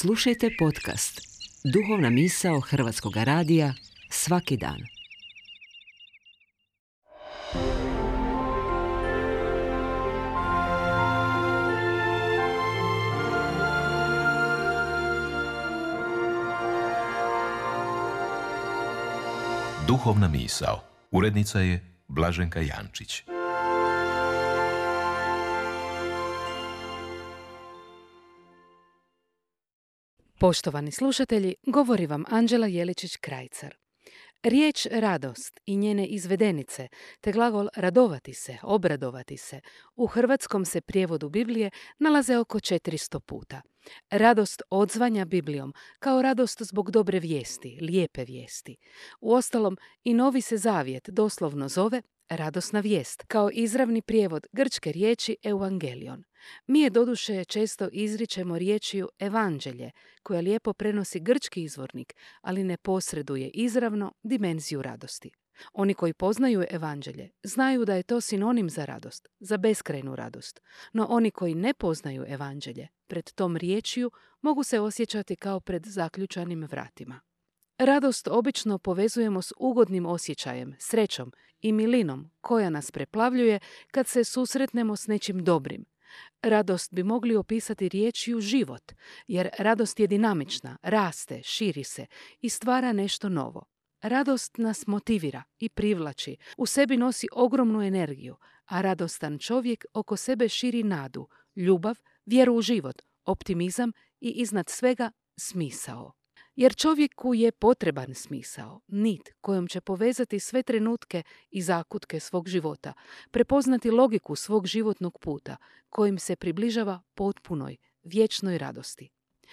Slušajte podcast Duhovna misao Hrvatskog radija svaki dan. Duhovna misao. Urednica je Blaženka Jančić. Poštovani slušatelji, govori vam Anđela Jeličić-Krajcar. Riječ radost i njene izvedenice, te glagol radovati se, obradovati se, u hrvatskom se prijevodu Biblije nalaze oko 400 puta. Radost odzvanja Biblijom kao radost zbog dobre vijesti, lijepe vijesti. Uostalom, i Novi se zavjet doslovno zove radosna vijest, kao izravni prijevod grčke riječi evangelion. Mi je doduše često izričemo riječju evanđelje, koja lijepo prenosi grčki izvornik, ali ne posreduje izravno dimenziju radosti. Oni koji poznaju evanđelje znaju da je to sinonim za radost, za beskrajnu radost. No oni koji ne poznaju evanđelje, pred tom riječju mogu se osjećati kao pred zaključanim vratima. Radost obično povezujemo s ugodnim osjećajem, srećom i milinom koja nas preplavljuje kad se susretnemo s nečim dobrim. Radost bi mogli opisati riječju život, jer radost je dinamična, raste, širi se i stvara nešto novo. Radost nas motivira i privlači, u sebi nosi ogromnu energiju, a radostan čovjek oko sebe širi nadu, ljubav, vjeru u život, optimizam i iznad svega smisao. Jer čovjeku je potreban smisao, nit kojom će povezati sve trenutke i zakutke svog života, prepoznati logiku svog životnog puta, kojim se približava potpunoj, vječnoj radosti.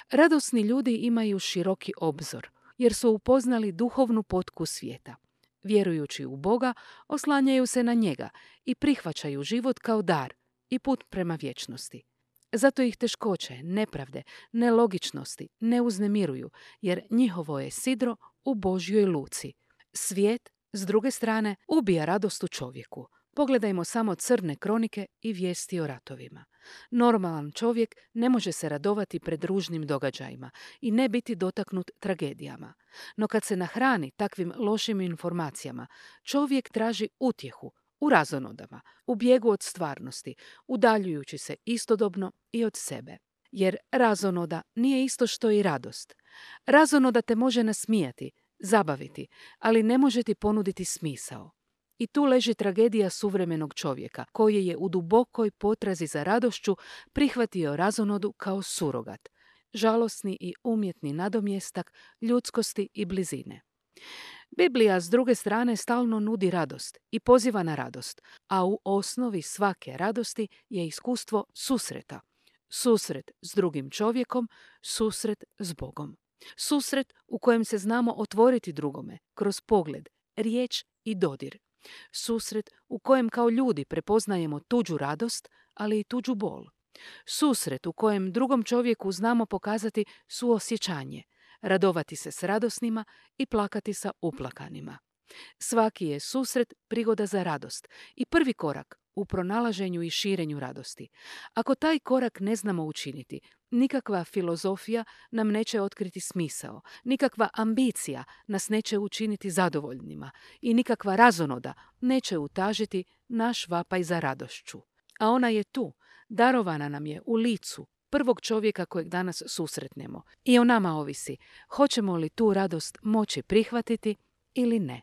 Radosni ljudi imaju široki obzor, jer su upoznali duhovnu potku svijeta. Vjerujući u Boga, oslanjaju se na njega i prihvaćaju život kao dar i put prema vječnosti. Zato ih teškoće, nepravde, nelogičnosti ne uznemiruju, jer njihovo je sidro u Božjoj luci. Svijet, s druge strane, ubija radost u čovjeku. Pogledajmo samo crne kronike i vijesti o ratovima. Normalan čovjek ne može se radovati pred ružnim događajima i ne biti dotaknut tragedijama. No kad se nahrani takvim lošim informacijama, čovjek traži utjehu u razonodama, u bijegu od stvarnosti, udaljujući se istodobno i od sebe. Jer razonoda nije isto što i radost. Razonoda te može nasmijati, zabaviti, ali ne može ti ponuditi smisao. I tu leži tragedija suvremenog čovjeka, koji je u dubokoj potrazi za radošću prihvatio razonodu kao surogat, žalosni i umjetni nadomjestak ljudskosti i blizine. Biblija, s druge strane, stalno nudi radost i poziva na radost, a u osnovi svake radosti je iskustvo susreta. Susret s drugim čovjekom, susret s Bogom. Susret u kojem se znamo otvoriti drugome, kroz pogled, riječ i dodir. Susret u kojem kao ljudi prepoznajemo tuđu radost, ali i tuđu bol. Susret u kojem drugom čovjeku znamo pokazati suosjećanje, radovati se s radosnima i plakati sa uplakanima. Svaki je susret prigoda za radost i prvi korak u pronalaženju i širenju radosti. Ako taj korak ne znamo učiniti, nikakva filozofija nam neće otkriti smisao, nikakva ambicija nas neće učiniti zadovoljnima i nikakva razonoda neće utažiti naš vapaj za radošću. A ona je tu, darovana nam je u licu prvog čovjeka kojeg danas susretnemo. I o nama ovisi, hoćemo li tu radost moći prihvatiti ili ne.